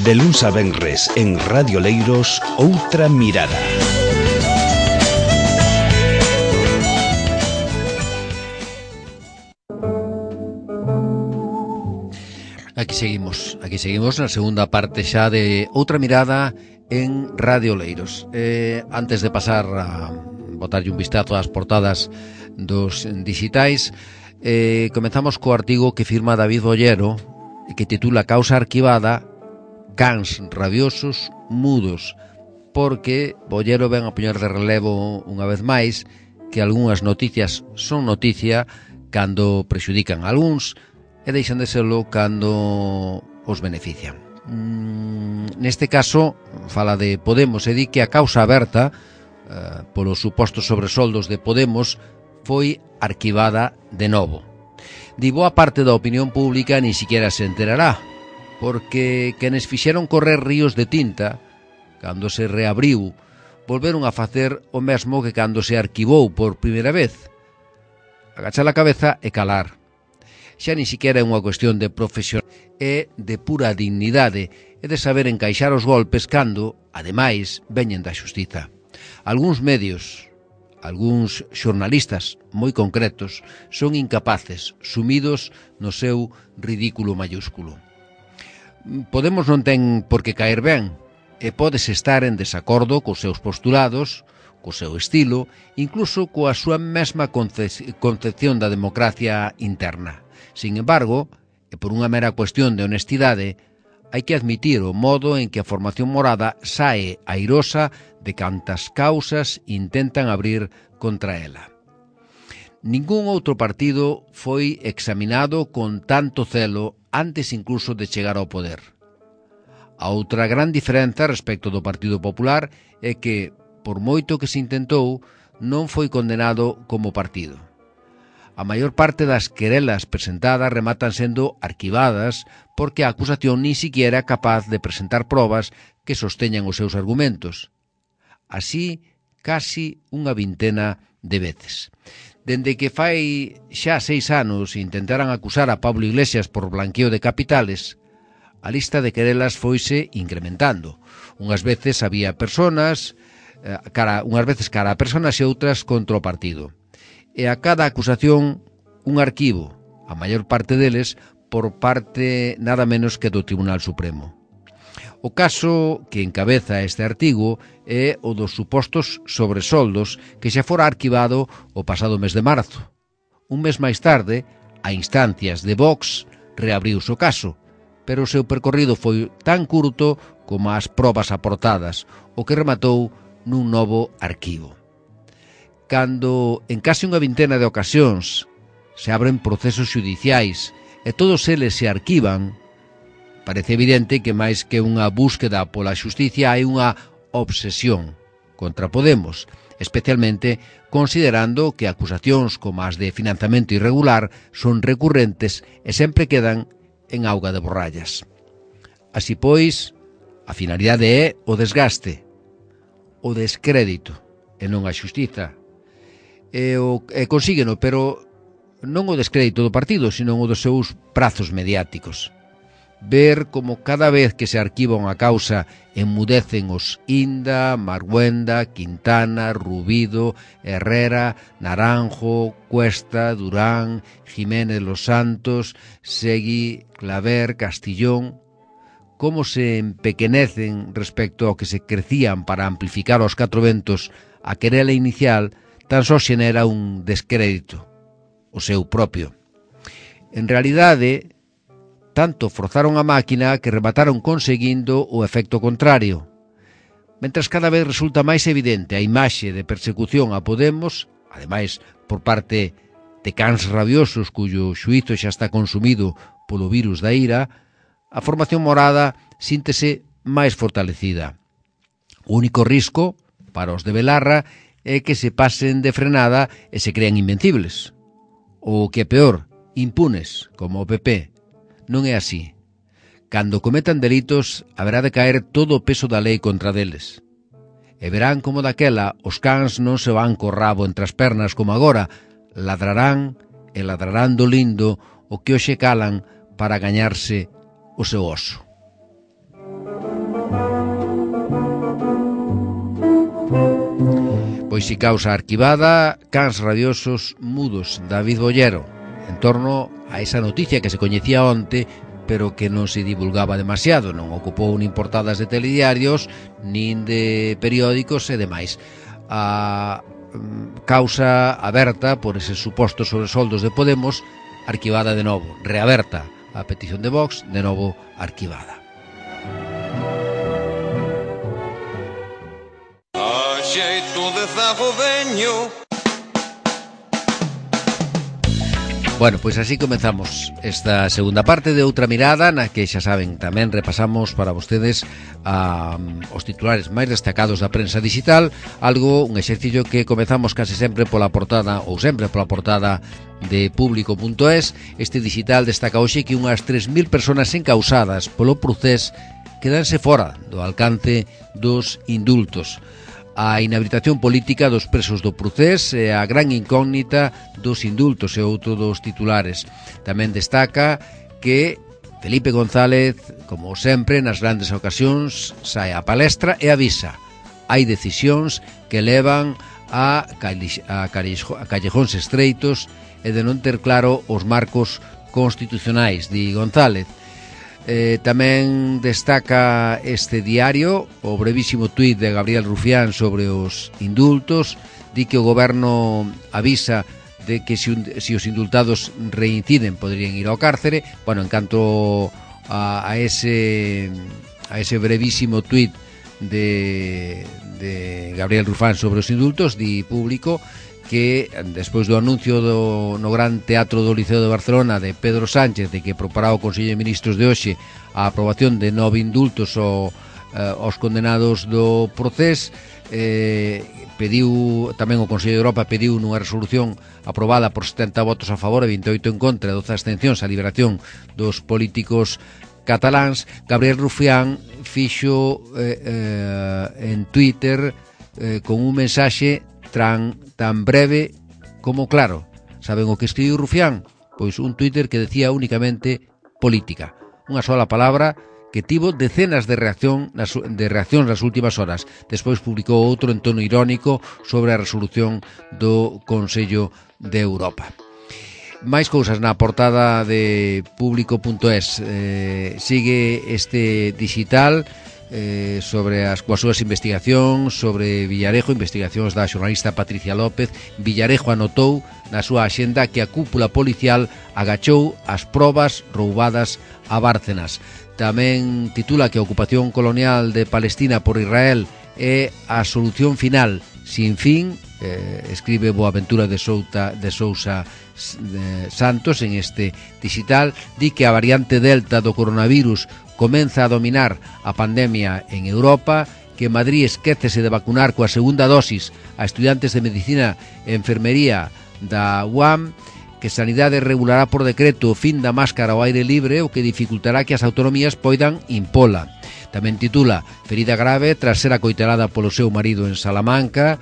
De luns a venres en Radio Leiros, Outra Mirada. Aquí seguimos na segunda parte xa de Outra Mirada en Radio Leiros. Antes de pasar a botarlle un vistazo ás portadas dos digitais, comezamos co artigo que firma David Bollero, que titula Causa arquivada, cans rabiosos mudos, porque Bollero ven a poñer de relevo unha vez máis que algunhas noticias son noticia cando prexudican a algúns e deixan de serlo cando os benefician. Neste caso, fala de Podemos e di que a causa aberta polos supostos sobresoldos de Podemos foi arquivada de novo. Di boa parte da opinión pública ni siquiera se enterará, porque quenes fixeron correr ríos de tinta cando se reabriu volveron a facer o mesmo que cando se arquivou por primeira vez: agachar a cabeza e calar. Xa ni siquiera é unha cuestión de profesión, é de pura dignidade e de saber encaixar os golpes cando, ademais, veñen da xustiza. Algúns medios, algúns xornalistas moi concretos, son incapaces, sumidos no seu ridículo mayúsculo. Podemos non ten por que caer ben, e podes estar en desacordo cos seus postulados, co seu estilo, incluso coa súa mesma concepción da democracia interna. Sin embargo, e por unha mera cuestión de honestidade, hai que admitir o modo en que a formación morada sae airosa de cantas causas intentan abrir contra ela. Ningún outro partido foi examinado con tanto celo antes incluso de chegar ao poder. A outra gran diferenza respecto do Partido Popular é que, por moito que se intentou, non foi condenado como partido. A maior parte das querelas presentadas rematan sendo arquivadas porque a acusación ni siquiera é capaz de presentar probas que sosteñan os seus argumentos. Así, casi unha vintena de veces. Dende que fai xa 6 anos intentaran acusar a Pablo Iglesias por blanqueo de capitales, a lista de querelas foise incrementando. Unhas veces había personas, unhas veces cara a personas e outras contra o partido. E a cada acusación un arquivo, a maior parte deles por parte nada menos que do Tribunal Supremo. O caso que encabeza este artigo é o dos supostos sobresoldos que xa fora arquivado o pasado mes de marzo. Un mes máis tarde, a instancias de Vox, reabriuse o caso, pero o seu percorrido foi tan curto como as probas aportadas, o que rematou nun novo arquivo. Cando en case unha vintena de ocasións se abren procesos xudiciais e todos eles se arquivan, parece evidente que máis que unha búsqueda pola xusticia hai unha obsesión contra Podemos, especialmente considerando que acusacións como as de financiamento irregular son recurrentes e sempre quedan en auga de borrallas. Así pois, a finalidade é o desgaste, o descrédito e non a xustiza. E consígueno, pero non o descrédito do partido, sino o dos seus prazos mediáticos. Ver como cada vez que se arquiva unha causa enmudecen os Inda, Marguenda, Quintana, Rubido, Herrera, Naranjo, Cuesta, Durán, Jiménez Los Santos, Segui, Claver, Castillón, como se empequenecen respecto ao que se crecían para amplificar aos 4 ventos a querela inicial, tan só xenera un descrédito, o seu propio. En realidade, tanto forzaron a máquina que remataron conseguindo o efecto contrario. Mentras cada vez resulta máis evidente a imaxe de persecución a Podemos, ademais por parte de cans rabiosos cuyo xuízo xa está consumido polo virus da ira, a formación morada síntese máis fortalecida. O único risco para os de Belarra é que se pasen de frenada e se crean invencibles. Ou que é peor, impunes, como o PP. Non é así. Cando cometan delitos, haberá de caer todo o peso da lei contra deles. E verán como daquela os cans non se van co rabo entre as pernas como agora, ladrarán e ladrarán do lindo o que hoxe calan para gañarse o seu oso. Pois si causa arquivada, cans rabiosos mudos, David Bollero, en torno a esa noticia que se coñecía onte, pero que non se divulgaba demasiado, non ocupou nin portadas de telediarios, nin de periódicos e demais. A causa aberta por eses supostos sobresoldos de Podemos, arquivada de novo, reaberta a petición de Vox, de novo arquivada. A xeito de zago veño. Bueno, pois así comezamos esta segunda parte de Outra Mirada, na que xa saben, tamén repasamos para vostedes os titulares máis destacados da prensa digital, un exercicio que comezamos case sempre pola portada, ou sempre pola portada de Público.es. Este digital destaca hoxe que unhas 3.000 personas encausadas polo procés quedanse fora do alcance dos indultos. A inhabilitación política dos presos do procés e a gran incógnita dos indultos e outro dos titulares. Tamén destaca que Felipe González, como sempre, nas grandes ocasións, sae á palestra e avisa. Hai decisións que levan a callejóns estreitos e de non ter claro os marcos constitucionais, di González. Tamén destaca este diario o brevísimo tuit de Gabriel Rufián sobre os indultos. Di que o goberno avisa de que se os indultados reinciden poderían ir ao cárcere. Bueno, en canto a ese brevísimo tuit de Gabriel Rufián sobre os indultos, di Público que despois do anuncio no Gran Teatro do Liceo de Barcelona de Pedro Sánchez de que proporá o Consello de Ministros de hoxe a aprobación de 9 indultos aos condenados do procés, pediu tamén o Consello de Europa pediu nunha resolución aprobada por 70 votos a favor e 28 en contra e 12 abstencións a liberación dos políticos cataláns. Gabriel Rufián fixo en Twitter con un mensaxe tan breve como claro. Saben o que escribiu Rufián? Pois un Twitter que decía únicamente política. Unha sola palabra que tivo decenas de reaccións nas últimas horas. Despois publicou outro en tono irónico sobre a resolución do Consello de Europa. Máis cousas na portada de Público.es. Sigue este digital sobre coas súas investigacións sobre Villarejo, investigacións da xornalista Patricia López. Villarejo anotou na súa axenda que a cúpula policial agachou as probas roubadas a Bárcenas. Tamén titula que a ocupación colonial de Palestina por Israel é a solución final sin fin. Escribe Boaventura de Sousa Santos en este digital. Di que a variante Delta do coronavirus comeza a dominar a pandemia en Europa, que Madrid esquécese de vacunar coa segunda dosis a estudiantes de Medicina e Enfermería da UAM, que Sanidade regulará por decreto o fin da máscara ao aire libre, o que dificultará que as autonomías poidan impola. Tamén titula Ferida grave tras ser acoitarada polo seu marido en Salamanca.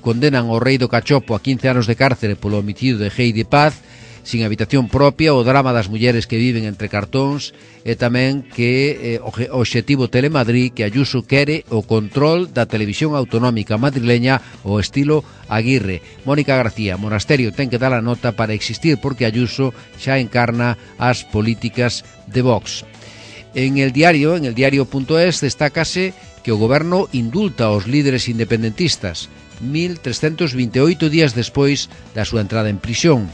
Condenan ao rei do cachopo a 15 anos de cárcere polo homicidio de Heidi Paz. Sin habitación propia, o drama das mulleres que viven entre cartóns, e tamén que o obxectivo Telemadrid, que Ayuso quere o control da televisión autonómica madrileña ao estilo Aguirre. Mónica García, Monasterio ten que dar a nota para existir porque Ayuso xa encarna as políticas de Vox. En el diario.es destácase que o goberno indulta aos líderes independentistas 1.328 días despois da súa entrada en prisión.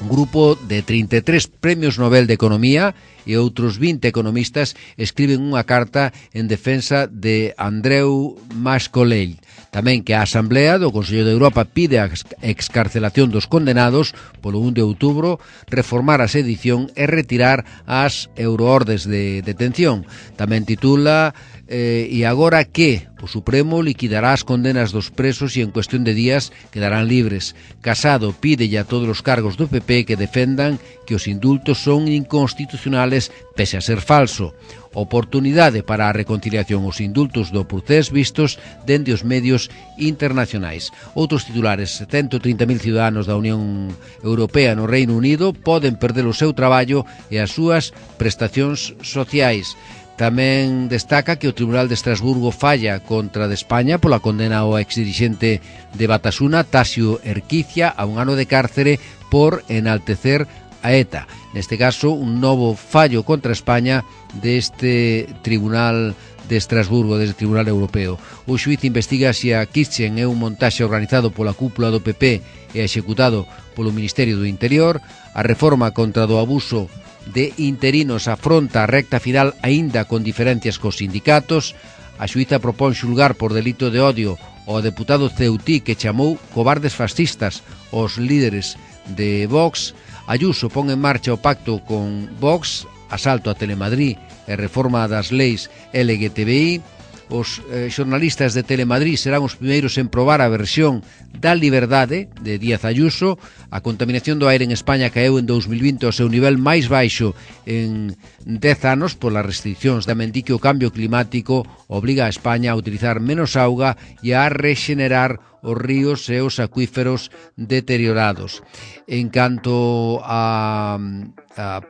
Un grupo de 33 premios Nobel de Economía e outros 20 economistas escriben unha carta en defensa de Andreu Mas-Colell. Tamén que a Asamblea do Consello de Europa pide a excarcelación dos condenados polo 1 de outubro, reformar a sedición e retirar as euroordes de detención. Tamén titula e agora que o Supremo liquidará as condenas dos presos e en cuestión de días quedarán libres. Casado pídelle a todos os cargos do PP que defendan que os indultos son inconstitucionales pese a ser falso. Oportunidade para a reconciliación os indultos do procés vistos dende os medios internacionais. Outros titulares: 130.000 ciudadanos da Unión Europea no Reino Unido poden perder o seu traballo e as súas prestacións sociais. Tamén destaca que o Tribunal de Estrasburgo falla contra de España pola condena ao exdirixente de Batasuna, Tasio Erquicia, a 1 ano de cárcere por enaltecer a ETA. Neste caso, un novo fallo contra España deste Tribunal de Estrasburgo, desde Tribunal Europeo. O xuíz investiga se a Kitchen é un montaxe organizado pola cúpula do PP e executado polo Ministerio do Interior. A reforma contra do abuso de interinos afronta a recta final aínda con diferencias cos sindicatos. A xuíza propón xulgar por delito de odio ao deputado Ceutí, que chamou cobardes fascistas os líderes de Vox. Ayuso pon en marcha o pacto con Vox, asalto a Telemadrid e reforma das leis LGTBI. Os xornalistas de Telemadrid serán os primeiros en probar a versión da liberdade de Díaz Ayuso. A contaminación do aire en España caeu en 2020 ao seu nivel máis baixo en 10 anos polas restriccións. Tamén di que o cambio climático obriga a España a utilizar menos auga e a rexenerar os ríos e os acuíferos deteriorados. En canto a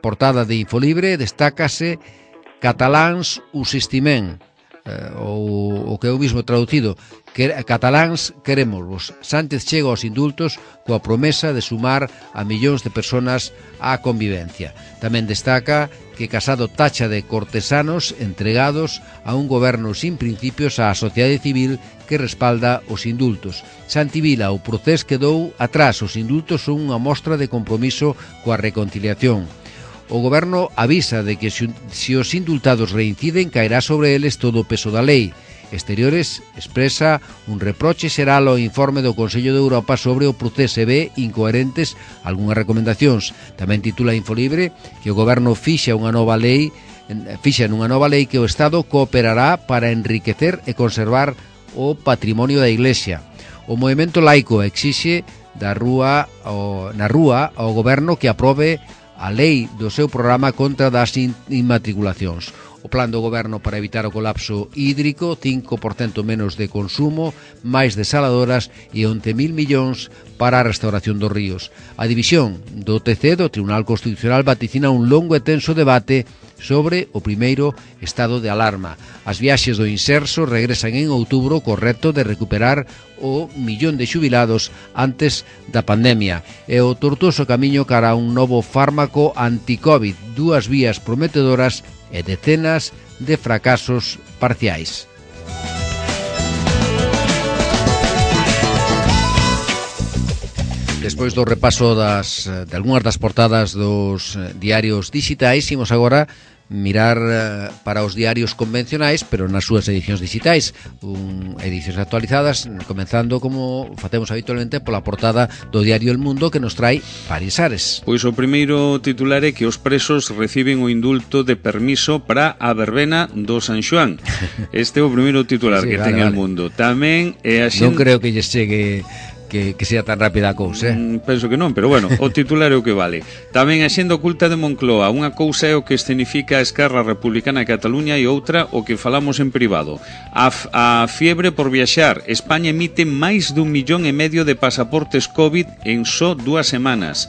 portada de Infolibre, destácase cataláns us estimen, ou o que é o mismo traducido, que cataláns querémosvos. Sánchez chega aos indultos coa promesa de sumar a millóns de personas á convivencia. Tamén destaca que Casado tacha de cortesanos entregados a un goberno sin principios á sociedade civil que respalda os indultos. Santi Vila, o procés quedou atrás, os indultos son unha mostra de compromiso coa reconciliación. O goberno avisa de que se os indultados reinciden, caerá sobre eles todo o peso da lei. Exteriores expresa un reproche xeral ao informe do Consello de Europa sobre o procés e ve incoherentes algunhas recomendacións. Tamén titula Infolibre que o goberno fixa nunha nova lei que o Estado cooperará para enriquecer e conservar o patrimonio da Iglesia. O movemento laico exixe na rúa ao goberno que aprobe a lei do seu programa contra das inmatriculacións. O plan do goberno para evitar o colapso hídrico, 5% menos de consumo, máis desaladoras e 11.000 millóns para a restauración dos ríos. A división do TC, do Tribunal Constitucional, vaticina un longo e tenso debate sobre o primeiro estado de alarma. As viaxes do Inserso regresan en outubro co reto de recuperar o 1.000.000 de xubilados antes da pandemia. E o tortuoso camiño cara a un novo fármaco anti-Covid, 2 vías prometedoras e decenas de fracasos parciais. Despois do repaso de algunhas das portadas dos diarios digitais, imos agora mirar para os diarios convencionais, pero nas súas edicións digitais, edicións actualizadas, comenzando como facemos habitualmente pola portada do diario El Mundo, que nos trai Paris Ares. Pois o primeiro titular é que os presos reciben o indulto de permiso para a verbena do San Xoán. Este é o primeiro titular que ten El Mundo. Tamén é a non creo que lles chegue que sea tan rápida a cousa, penso que non, pero bueno, o titular é o que vale. Tamén a xenda oculta de Moncloa. Unha cousa é o que escenifica a Esquerra Republicana de Cataluña e outra o que falamos en privado. A fiebre por viaxar. España emite máis d'1,5 millón de pasaportes COVID en só 2 semanas.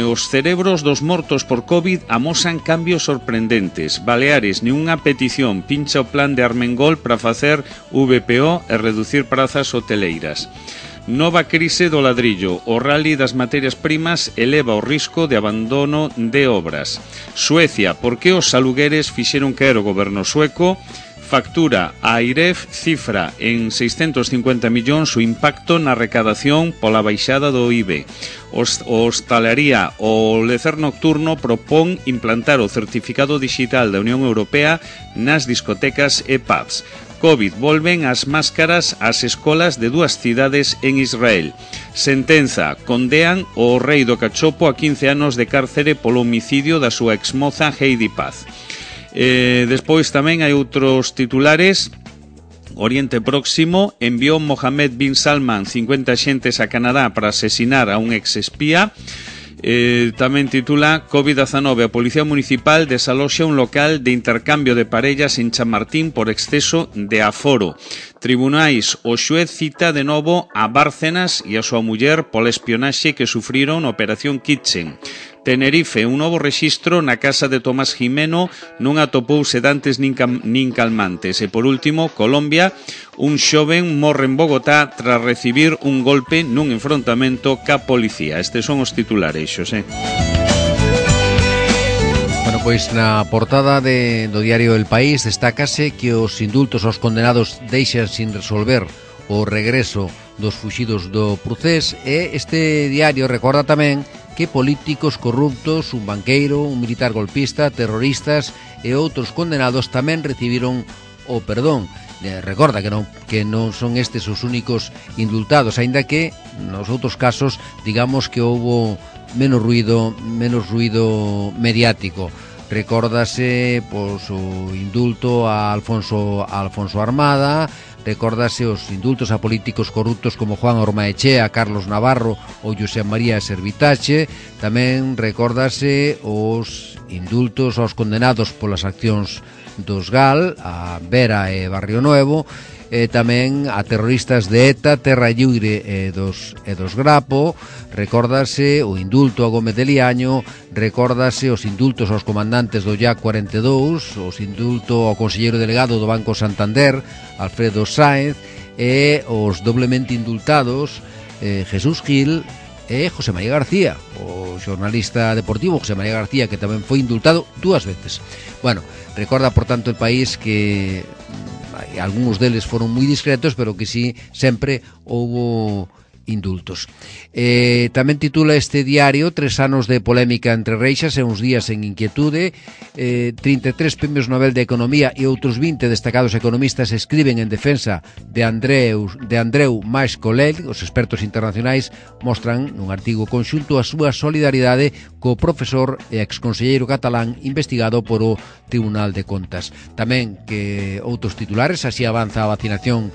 Os cerebros dos mortos por COVID amosan cambios sorprendentes. Baleares, nunha petición, pincha o plan de Armengol para facer VPO e reducir prazas hoteleiras. Nova crise do ladrillo. O rally das materias primas eleva o risco de abandono de obras. Suecia, por que os alugueres fixeron caer o goberno sueco? Factura a AIREF cifra en 650 millóns o impacto na recadación pola baixada do IBE. Hostalería, o lecer nocturno propón implantar o certificado digital da Unión Europea nas discotecas e pubs. COVID, volven as máscaras ás escolas de 2 cidades en Israel. Sentenza, condean o rei do cachopo a 15 anos de cárcere polo homicidio da súa exmoza Heidi Paz. Despois tamén hai outros titulares. Oriente Próximo, enviou Mohammed bin Salman 50 xentes a Canadá para asesinar a un ex-espía. Tamén titula COVID-19, a Policía Municipal desaloxa un local de intercambio de parellas en Chamartín por exceso de aforo. Tribunais, o xuez cita de novo a Bárcenas e a súa muller pola espionaxe que sufriron na Operación Kitchen. Tenerife, un novo rexistro na casa de Tomás Jimeno, non atopou sedantes nin calmantes. E por último, Colombia, un xoven morre en Bogotá tras recibir un golpe nun enfrontamento ca policía. Estes son os titulares, Xosé. Bueno, pois na portada do diario El País destácase que os indultos aos condenados deixan sin resolver o regreso dos fuxidos do procés, e este diario recorda tamén que políticos corruptos, un banqueiro, un militar golpista, terroristas e outros condenados tamén recibiron o perdón. Recorda que non son estes os únicos indultados, aínda que nos outros casos digamos que houbo menos ruido mediático. Recórdase pois, o indulto a Alfonso Armada, recórdase os indultos a políticos corruptos como Juan Ormaechea, Carlos Navarro ou José María Servitache. Tamén recórdase os indultos aos condenados polas accións dos GAL, a Vera e Barrio Nuevo, e tamén a terroristas de ETA, Terra Lliure e dos Grapo. Recórdase o indulto a Gómez de Liaño, recórdase os indultos aos comandantes do YAC 42, os indulto ao conselleiro delegado do Banco Santander, Alfredo Sáenz, e os doblemente indultados Jesús Gil e José María García, o xornalista deportivo José María García, que tamén foi indultado 2 veces. Bueno, recorda, por tanto, el país que algúns deles foron moi discretos, pero que sí, sempre houbo indultos. Tamén titula este diario 3 anos de polémica entre reixas e uns días en inquietude. 33 premios Nobel de Economía e outros 20 destacados economistas escriben en defensa de Andreu Mas Colell. Os expertos internacionais mostran nun artigo conxunto a súa solidaridade co profesor e exconselleiro catalán investigado por o Tribunal de Contas. Tamén que outros titulares, así avanza a vacinación.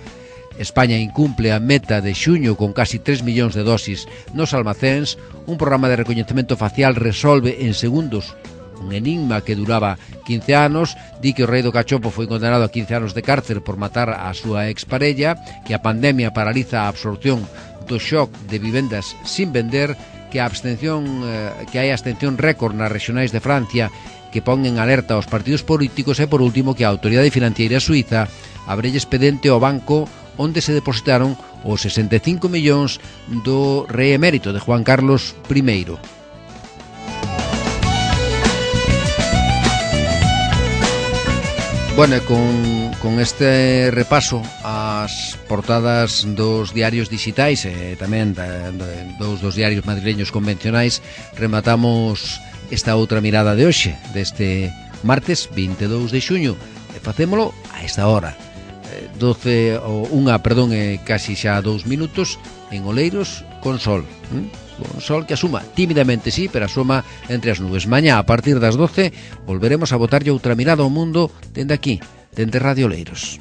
España incumple a meta de xuño con casi 3 millóns de dosis nos almacéns. Un programa de recoñecemento facial resolve en segundos un enigma que duraba 15 anos. Di que o rei do cachopo foi condenado a 15 anos de cárcel por matar a súa exparella, que a pandemia paraliza a absorción do shock de vivendas sin vender, que hai abstención récord nas regionais de Francia que pon en alerta aos partidos políticos, e por último que a autoridade financiera suiza abrelle expediente ao banco onde se depositaron os 65 millóns do rei emérito de Juan Carlos I. Bueno, con este repaso ás portadas dos diarios digitais e tamén dos diarios madrileños convencionais, rematamos esta outra mirada de hoxe, deste martes 22 de xuño, e facémolo a esta hora. 12 ou unha, perdón, casi xa 2 minutos en Oleiros con sol. Con sol que asuma tímidamente, sí, pero asoma entre as nubes. Mañá, a partir das 12, volveremos a botarlle outra mirada ao mundo dende aquí, dende Radio Oleiros.